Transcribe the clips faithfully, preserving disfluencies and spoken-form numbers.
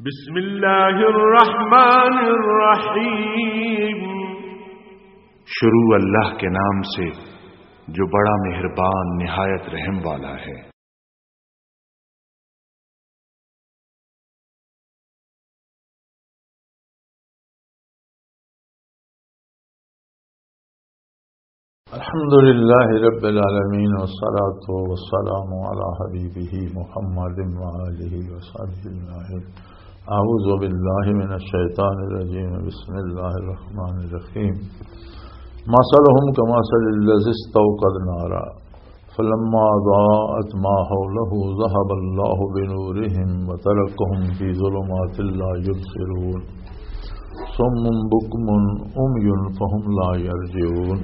بسم اللہ الرحمن الرحیم۔ شروع اللہ کے نام سے جو بڑا مہربان نہایت رحم والا ہے۔ الحمد لله رب العالمين، والصلاة والسلام على حبيبه محمد وآله وصحبه أجمعين. أعوذ بالله من الشيطان الرجيم. بسم الله الرحمن الرحيم. مثلهم كمثل الذي استوقد نارا فلما أضاءت ما حوله ذهب الله بنورهم وتركهم في ظلمات لا يبصرون. صم بكم عمي فهم لا يرجعون.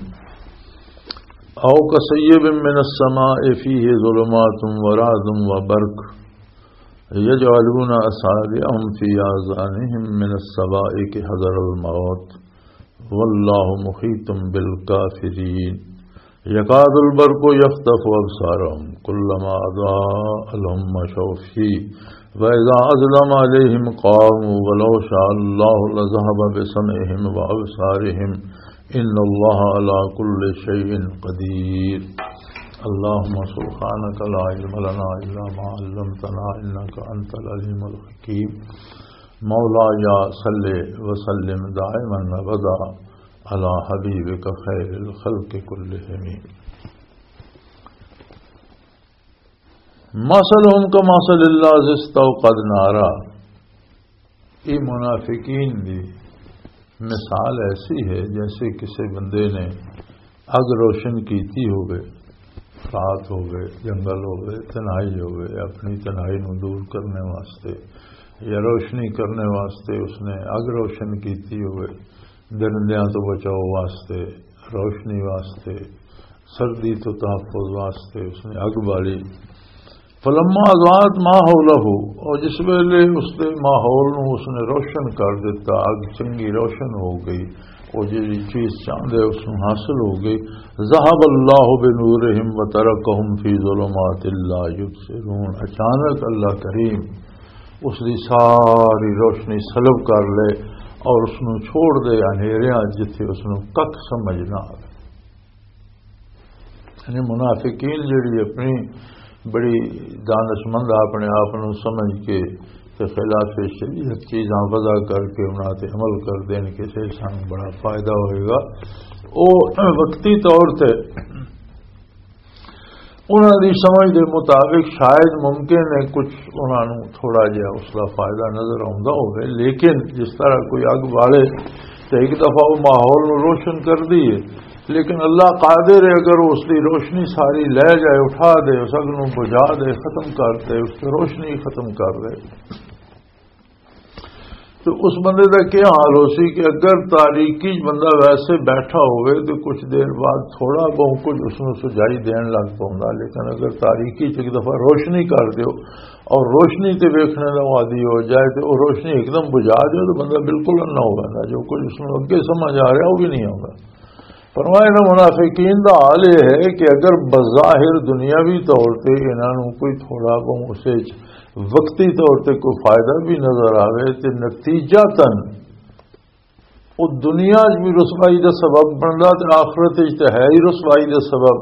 أو كصيب من السماء فيه ظلمات ورعد وبرق يجعلون أصابعهم في آذانهم من الصواعق حذر الموت والله محيط بالكافرين. يكاد البرق يخطف أبصارهم كلما أضاء لهم مشوا فيه وإذا أظلم عليهم قاموا ولو شاء الله لذهب بسمعهم وأبصارهم إن الله على كل شيء قدير. اللهم سبحانك لا علم لنا إلا ما علمتنا إنك أنت العليم الحكيم. مولاي صل وسلم دائما أبدا على حبيبك خير الخلق كلهم. مثلهم كمثل الذي استوقد نارا. یہ منافقین دی مثال ایسی ہے جیسے کسی بندے نے اگ روشن کیتی ہوئے، رات ہوئے، جنگل ہوئے، تنہائی ہوئے، اپنی تنہائی نو دور کرنے واسطے یا روشنی کرنے واسطے اس نے اگ روشن کیتی ہوئے، درندیاں تو بچاؤ واسطے، روشنی واسطے، سردی تو تحفظ واسطے اس نے اگ بالی۔ فلما اضاءت ما حوله، اور جس ویلے اس دے ماحول نو اس نے روشن کر دتا، اگ چنگی روشن ہو گئی، وہ جڑی چیز چاہندے اس نو حاصل ہو گئی۔ ذهب الله بنورهم وتركهم في ظلمات لا يبصرون۔ اچانک اللہ کریم اس دی ساری روشنی سلب کر لے اور اس نو چھوڑ دے انہیریاں جتھے اس نو کک سمجھ نہ آوے۔ یعنی منافقین جڑی اپنی بڑی دانشمند اپنے آپ نو سمجھ کے تے خلاف شریعت چیزاں وضع کر کے انہاں تے عمل کر دین کہ سے سانوں بڑا فائدہ ہوئے گا، او وقتی طور تے انہاں دی سمجھ دے مطابق شاید ممکن ہے کچھ انہاں نوں تھوڑا جہا اس دا فائدہ نظر آوندا ہوے، لیکن جس طرح کوئی اگ بالے تے ایک دفعہ وہ ماحول نوں روشن کر دی ہے، لیکن اللہ قادر ہے اگر اس دی روشنی ساری لے جائے، اٹھا دے، اس اگ نوں بجھا دے، ختم کر دے، اس تے روشنی ختم کر دے۔ تو اس بندے دا کیا حال ہو سی کہ اگر تاریکی چ بندہ ویسے بیٹھا ہوئے تو کچھ دیر بعد تھوڑا بہت کچھ اس نوں سجائی دین لگ پوندا، لیکن اگر تاریکی چ ایک دفعہ روشنی کر دیو اور روشنی تے ویکھنے دا عادی ہو جائے تو وہ روشنی ایک دم بجھا دیو تو بندہ بالکل انا ہو جاتا، جو کچھ اس نوں اگے سمجھ آ رہا وہ بھی نہیں آتا۔ فرمایا، انہاں منافقین دا حال یہ ہے کہ اگر بظاہر دنیاوی طور تے انہاں نوں کوئی تھوڑا بہت اس وچ وقتی طور تے کوئی فائدہ بھی نظر آوے تے نتیجہ تن وہ دنیا وچ بھی رسوائی دا سبب بندا تے آخرت وچ تے ہے ہی رسوائی دا سبب،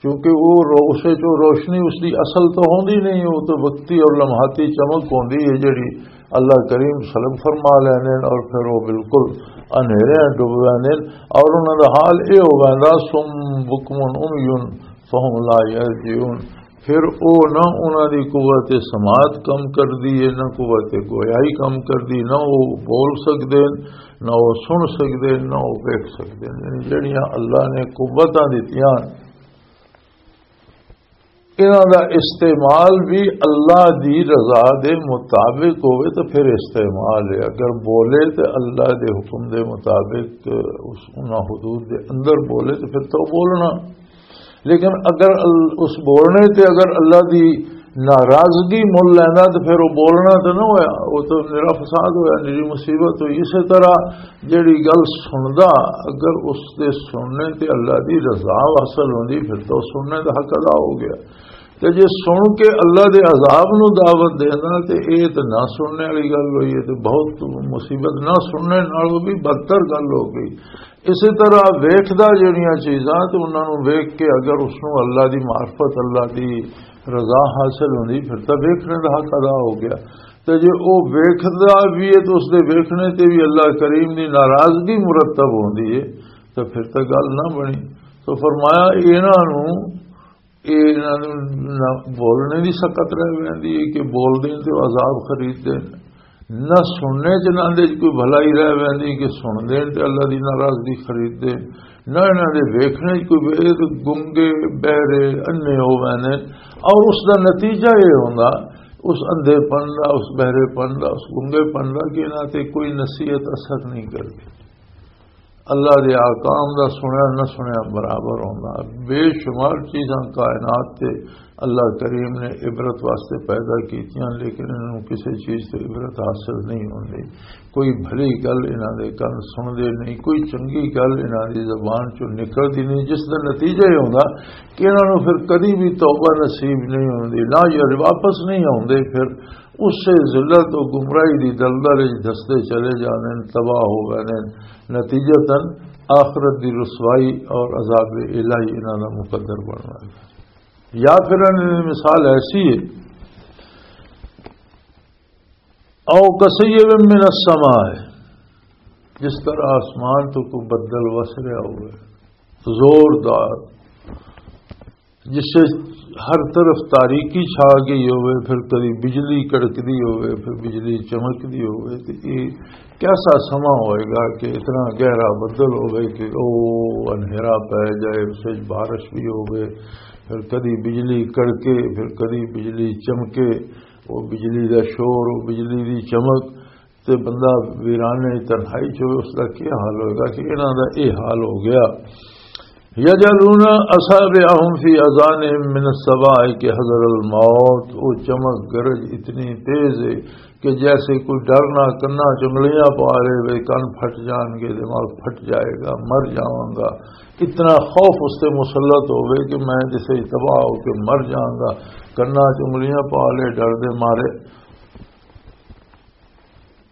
کیونکہ وہ رو-، اس وچ وہ روشنی اس دی اصل تو ہوندی نہیں، وہ تو وقتی اور لمحاتی چمک ہوندی ہے جڑی اللہ کریم سلب فرما لیندے نے اور پھر وہ بالکل انہیرے ڈوب ویندے نے اور انہاں دا حال اے ہو ویندا، صم بکم عمی فہم لا یرجعون۔ پھر او نہ انہاں دی قوت سماعت کم کردی ہے، نہ قوت گویائی کم کردی، نہ وہ بول سکدے نے، نہ وہ سن سکدے نے، نہ وہ ویکھ سکدے نے۔ یعنی جڑیاں اللہ نے قوتاں دتیاں، انہاں دا استعمال بھی اللہ دی رضا دے مطابق ہوئے تو پھر استعمال ہے۔ اگر بولے تو اللہ دے حکم دے مطابق اس، انہاں حدود دے اندر بولے تو پھر تو بولنا۔ لیکن اگر ال-، اس بولنے تے اگر اللہ دی ناراضگی مل لینا تو پھر وہ بولنا تو نہ ہویا، وہ تو میرا فساد ہویا، میری مصیبت ہوئی۔ اسی طرح جڑی گل سندا، اگر اس دے سننے تے اللہ دی رضا حاصل ہوندی، پھر تو سننے دا حق ادا ہو گیا۔ تے جے سن کے اللہ دے عذاب نو دعوت دینا، تے اے تے نہ سننے والی گل ہوئی ہے، تے بہت مصیبت، نہ سننے نالوں بھی بدتر گل ہو گئی۔ اسی طرح ویکھدا جڑیاں چیزاں، تے انہاں نوں ویکھ کے اگر اس نوں اللہ دی معرفت، اللہ دی رضا حاصل ہوندی، پھر تاں ویکھنے دا حق ادا ہو گیا۔ تے جے او ویکھدا بھی ہے، تے اس دے ویکھنے تے بھی اللہ کریم دی ناراضگی مرتب ہوندی ہے، تے پھر تاں گل نہ بنی۔ تو فرمایا، انہاں نوں، اے انہاں نوں نہ بولنے دی سکت رہ ویندی ہے کہ بول دین تے عذاب خرید دین، نہ سننے چ انہاں دے کوئی بھلائی رہ ویندی کہ سن دین تے اللہ دی ناراضگی خرید دین، نہ انہاں دے ویکھنے چ کوئی بے-، گنگے، بہرے، انے ہو ویندے۔ اور اس دا نتیجہ یہ ہوندا، اس اندھے پن دا، اس بہرے پن دا، اس گنگے پن دا کہ انہاں تے کوئی نصیحت اثر نہیں کردی۔ اللہ دے احکام دا سنیا نہ سنیا برابر ہوندا۔ بے شمار چیزاں کائنات تے اللہ کریم نے عبرت واسطے پیدا کیتیاں، لیکن انہاں نوں کسے چیز تے عبرت حاصل نہیں ہوندی۔ کوئی بھلی گل انہاں دے کن سن دے نہیں، کوئی چنگی گل انہاں دی زبان چوں نکلدی نہیں، جس دا نتیجہ یہ ہوندا کہ انہاں نوں پھر کدی بھی توبہ نصیب نہیں ہوندی، نہ یہ واپس نہیں آوندے۔ پھر اسے ذلت و گمراہی دی دلدل وچ دھسدے چلے جاندے نے، تباہ ہو گئے نے۔ نتیجتاً آخرت دی رسوائی اور عذاب الہی انہاں دا مقدر بن گیا۔ یا پھر انہاں دی مثال ایسی ہے، او کسیب من السماء، جس طرح آسمان تو کوئی بدل وس رہا ہوئے، زوردار، جس سے ہر طرف تاریکی چھا گئی ہوئے، پھر کدی بجلی کڑکدی ہوئے، پھر بجلی چمکدی ہوئے، تو یہ کیسا سما ہوئے گا کہ اتنا گہرا بدل ہوئے کہ او انہیرا پہ جائے، اس وچ بارش بھی ہوئے، پھر کدی بجلی کڑکے، پھر کدی بجلی چمکے، وہ بجلی دا شور، وہ بجلی دی چمک، تے بندہ ویرانے تنہائی چ ہوئے، اس دا کیا حال ہوئے گا کہ انہاں دا اے حال ہو گیا۔ یجعلون اصابعهم فی اذانهم من الصواعق حذر الموت، وہ چمک گرج اتنی تیز ہے کہ جیسے کوئی ڈرنا کنا چنگلیاں پا لے وے، کن پھٹ جان گے، دماغ پھٹ جائے گا، مر جاواں گا۔ اتنا خوف اس تے مسلط ہوئے کہ میں جسے تباہ ہو کے مر جاواں گا، کنا چنگلیاں پا لے ڈر دے مارے۔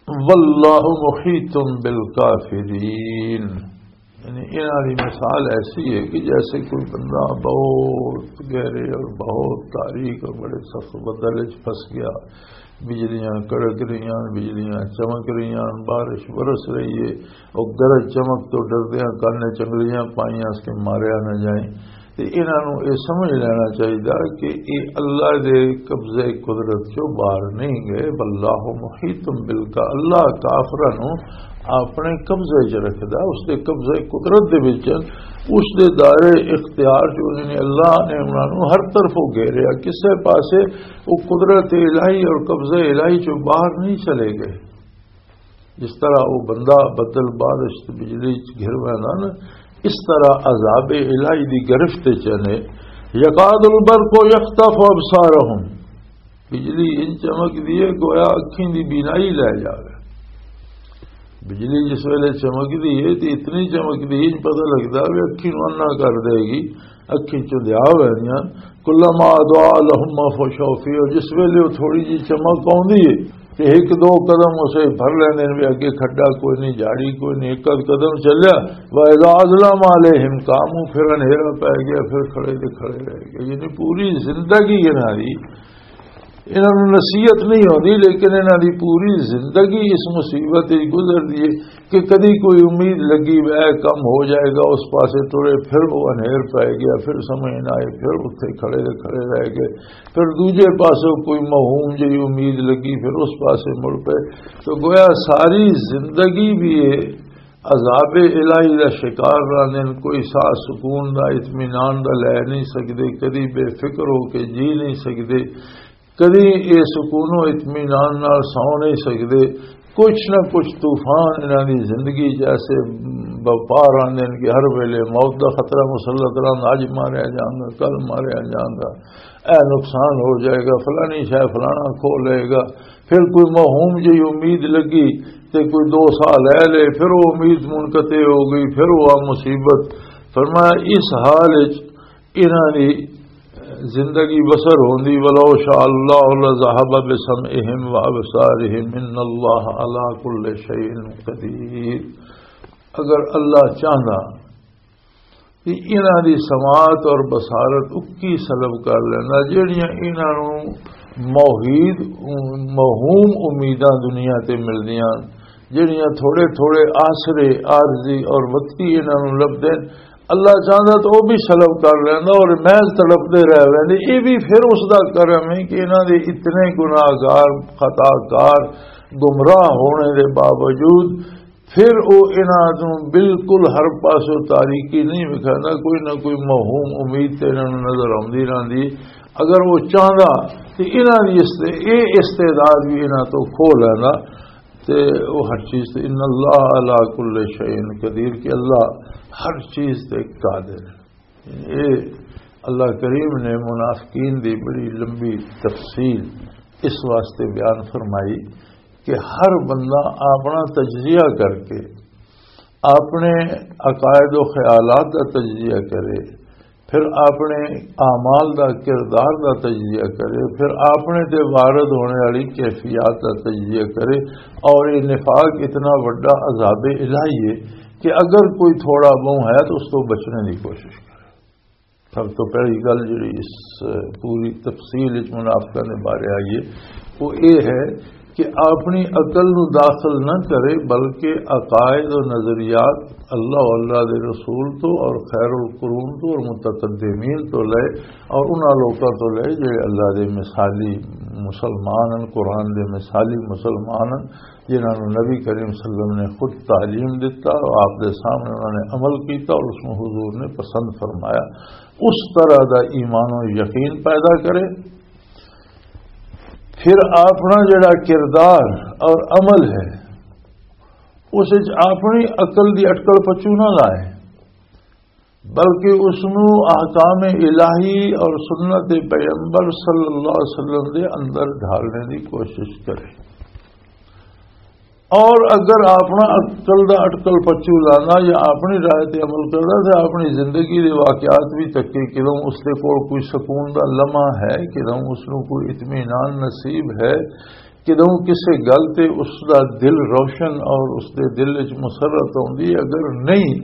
واللہ محیط بالکافرین۔ یعنی انہاں دی مثال ایسی ہے کہ جیسے کوئی بندہ بہت گہرے اور بہت تاریک اور بڑے سخت بدل وچ پھس گیا، بجلیاں کڑک رہیاں، بجلیاں چمک رہیاں، بارش برس رہی ہے، اور گرج چمک تو ڈردیاں کن نے چنگلیاں پائیاں اس کے ماریا نہ جائیں۔ تے انہاں نوں اے سمجھ لینا چاہیدا کہ اے اللہ دے قبضے قدرت چوں باہر نہیں گئے، واللہ محیط بالکا، اللہ کافراں نوں اپنے قبضے چ رکھدا، اس دے قبضے قدرت دے وچ، اس دے دائرے اختیار چ انہاں نے، اللہ نے انہاں نوں ہر طرفوں گھیریا، کسے پاسے وہ قدرت الہی اور قبضہ الہی چوں باہر نہیں چلے گئے۔ جس طرح وہ بندہ بدل بارش تے بجلی چ گھر ویندا نا، اس طرح عذاب الہی دی گرفت چ نے۔ یکاد البرق یخطف ابصارهم، بجلی ان چمک دی ہے گویا اکھیں دی بینائی لے جاوے۔ بجلی جس ویلے چمک دی ہے تے اتنی چمک دی ہے، پتہ لگدا وے اکھیں نوں انا کر دے گی۔ اکھیں چوں دھیا ہوئے دیاں، کلما اضاء لهم مشوا فیہ، اور جس ویلے وہ تھوڑی جی چمک آوندی ہے تے ایک دو قدم اسے بھر لیندے نے، بھی اگے کھڈا کوئی نہیں، جھاڑی کوئی نہیں، ایک آدھ قدم چلیا، واذا اظلم علیہم قاموا، پھر انہیرا پے گیا، پھر کھڑے دے کھڑے رہ گئے۔ یعنی پوری زندگی انہاں دی، انہاں نوں نصیحت نہیں ہوندی، لیکن انہاں دی پوری زندگی اس مصیبت وچ گزردی ہے۔ کہ کدی کوئی امید لگی، اے کم ہو جائے گا، اس پاسے ٹرے، پھر وہ انہیر پے گیا، پھر سمجھ نہ آئے، پھر اتھے کھڑے دے کھڑے رہ گئے، پھر دوجے پاسے کوئی موہوم جہی امید لگی، پھر اس پاسے مڑ پے۔ تو گویا ساری زندگی بھی یہ عذاب الہی دا شکار رہندے نے، کوئی ساہ سکون دا، اطمینان دا لے نہیں سکدے، کدی بے فکر ہو کے جی نہیں سکدے۔ کدی اے سکون و اطمینان نال سو نہیں سکدے۔ کچھ نہ کچھ طوفان انہاں دی زندگی جیسے بپار آندے نے کہ ہر ویلے موت دا خطرہ مسلط رہندا، اج ماریا جانگا، کل ماریا جانگا، اے نقصان ہو جائے گا، فلانی شے فلانا کھو لے گا۔ پھر کوئی موہوم جہی امید لگی تے کوئی دو سال لے لے، پھر وہ امید منقطع ہو گئی، پھر وہ مصیبت۔ فرمایا اس حال وچ انہاں دی زندگی بسر ہوندی۔ ولو شاء اللہ لذهب بسمعهم وابصارهم ان اللہ علی کل شیء قدیر۔ اگر اللہ چاہندا کہ انہاں دی سماعت اور بصارت اکی سلب کر لینا، جڑیاں انہاں نوں موحید، موہوم امیداں دنیا تے ملدیاں، جڑیاں تھوڑے تھوڑے آسرے عارضی اور وقتی انہاں نوں لبدے، اللہ چاہندا تو وہ بھی سلب کر لینا اور محض تڑپدے رہ ویندے۔ یہ بھی پھر اس دا کرم ہے کہ انہاں دے اتنے گناہگار، خطا کار، گمراہ ہونے دے باوجود پھر او انہاں نوں بالکل ہر پاسوں تاریکی نہیں وکھاندا، کوئی نہ کوئی موہوم امید تے انہاں نوں نظر آندی رہندی۔ اگر وہ چاہندا تے انہاں دی است-، اے استعداد بھی انہاں تو کھو لیندا۔ تے وہ ہر چیز تے، ان اللہ علی کل شیء قدیر، کہ اللہ ہر چیز تے قادر ہے۔ اے اللہ کریم نے منافقین دی بڑی لمبی تفصیل اس واسطے بیان فرمائی کہ ہر بندہ اپنا تجزیہ کر کے، اپنے عقائد و خیالات دا تجزیہ کرے، پھر اپنے اعمال دا، کردار دا تجزیہ کرے، پھر اپنے تے وارد ہونے والی کیفیات دا تجزیہ کرے۔ اور یہ نفاق اتنا وڈا عذاب الہی ہے کہ اگر کوئی تھوڑا بہت ہے تو اس کو بچنے کی کوشش کرے۔ سب تو پہلی گل جڑی اس پوری تفصیل وچ منافقاں دے بارے آئی ہے، وہ یہ ہے کہ اپنی عقل نو داخل نہ کرے، بلکہ عقائد و نظریات اللہ و اللہ دے رسول تو اور خیر القرون تو اور متقدمین تو لے اور انہاں لوکاں تو لے جڑے اللہ دے مثالی مسلمان ہیں، قرآن دے مثالی مسلمان ہیں، جنہاں نوں نبی کریم صلی اللہ علیہ وسلم نے خود تعلیم دیتا اور آپ دے سامنے انہوں نے عمل کیتا اور اس نوں حضور نے پسند فرمایا۔ اس طرح دا ایمان و یقین پیدا کرے۔ پھر اپنا جڑا کردار اور عمل ہے، اس وچ اپنی عقل دی اٹکل پچو نہ لائے، بلکہ اس نوں احکام الہی اور سنت پیغمبر صلی اللہ علیہ وسلم دے اندر ڈھالنے دی کوشش کرے۔ اور اگر اپنا عقل دا اٹکل پچو لانا یا اپنی رائے تے عمل کرنا، تے اپنی زندگی دے واقعات بھی تکے، کدوں اس دے کول کوئی سکون دا لمحہ ہے، کدوں اس نوں کوئی اطمینان نصیب ہے، کدوں کسے گل تے اس دا دل روشن اور اس دے دل وچ مسرت ہوندی ہے۔ اگر نہیں،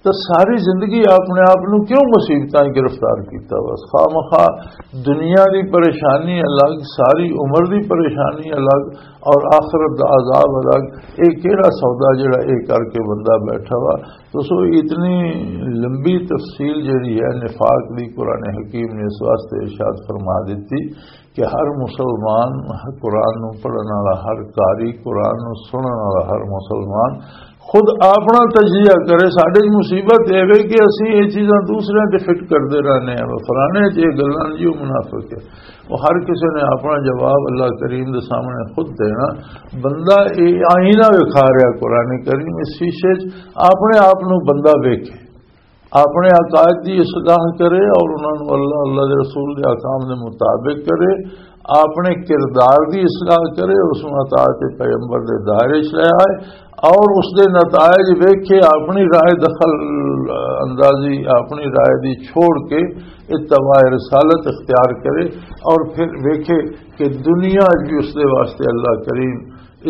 تو ساری زندگی اپنے آپ نو کیوں مصیبتاں گرفتار کیتا؟ بس خواہ مخواہ دنیا دی پریشانی الگ، ساری عمر دی پریشانی الگ اور آخرت دا عذاب الگ۔ اے کیڑا سودا جڑا اے کر کے بندہ بیٹھا وا؟ تو سو اتنی لمبی تفصیل جڑی ہے نفاق دی، قرآن حکیم نے اس واسطے ارشاد فرما دیتی کہ ہر مسلمان، قرآن نو پڑھن والا ہر قاری، قرآن نو سنن والا ہر مسلمان خود اپنا تجزیہ کرے۔ ساڈے وچ مصیبت اے وے کہ اسی یہ چیزاں دوسرے تے فٹ کردے رہنے ہیں، فلانے چ یہ گلاں جی، وہ منافق ہے۔ وہ ہر کسی نے اپنا جواب اللہ کریم دے سامنے خود دینا۔ بندہ یہ آئینہ وکھا رہا قرآن کریم، اس شیشے چ اپنے آپ نو بندہ ویکھے، اپنے عقائد دی اصلاح کرے اور انہاں نوں اللہ، اللہ دے رسول دے احکام دے مطابق کرے، اپنے کردار دی اصلاح کرے، اس نوں اطاعت پیغمبر دے دائرے چ لے آئے اور اس دے نتائج ویکھے، اپنی رائے دخل اندازی، اپنی رائے دی چھوڑ کے اتباع رسالت اختیار کرے اور پھر ویکھے کہ دنیا وچ بھی اس دے واسطے اللہ کریم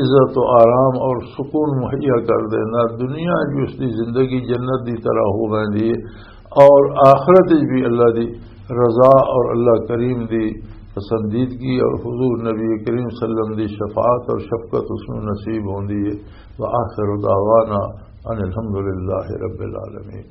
عزت و آرام اور سکون مہیا کر دینا، دنیا وچ بھی اس دی زندگی جنت دی طرح ہو ویندی ہے اور آخرت وچ بھی اللہ دی رضا اور اللہ کریم دی پسندیدگی اور حضور نبی کریم صلی اللہ علیہ وسلم دی شفاعت اور شفقت اس نوں نصیب ہوندی ہے۔ وآخر دعوانا ان الحمد للہ رب العالمین۔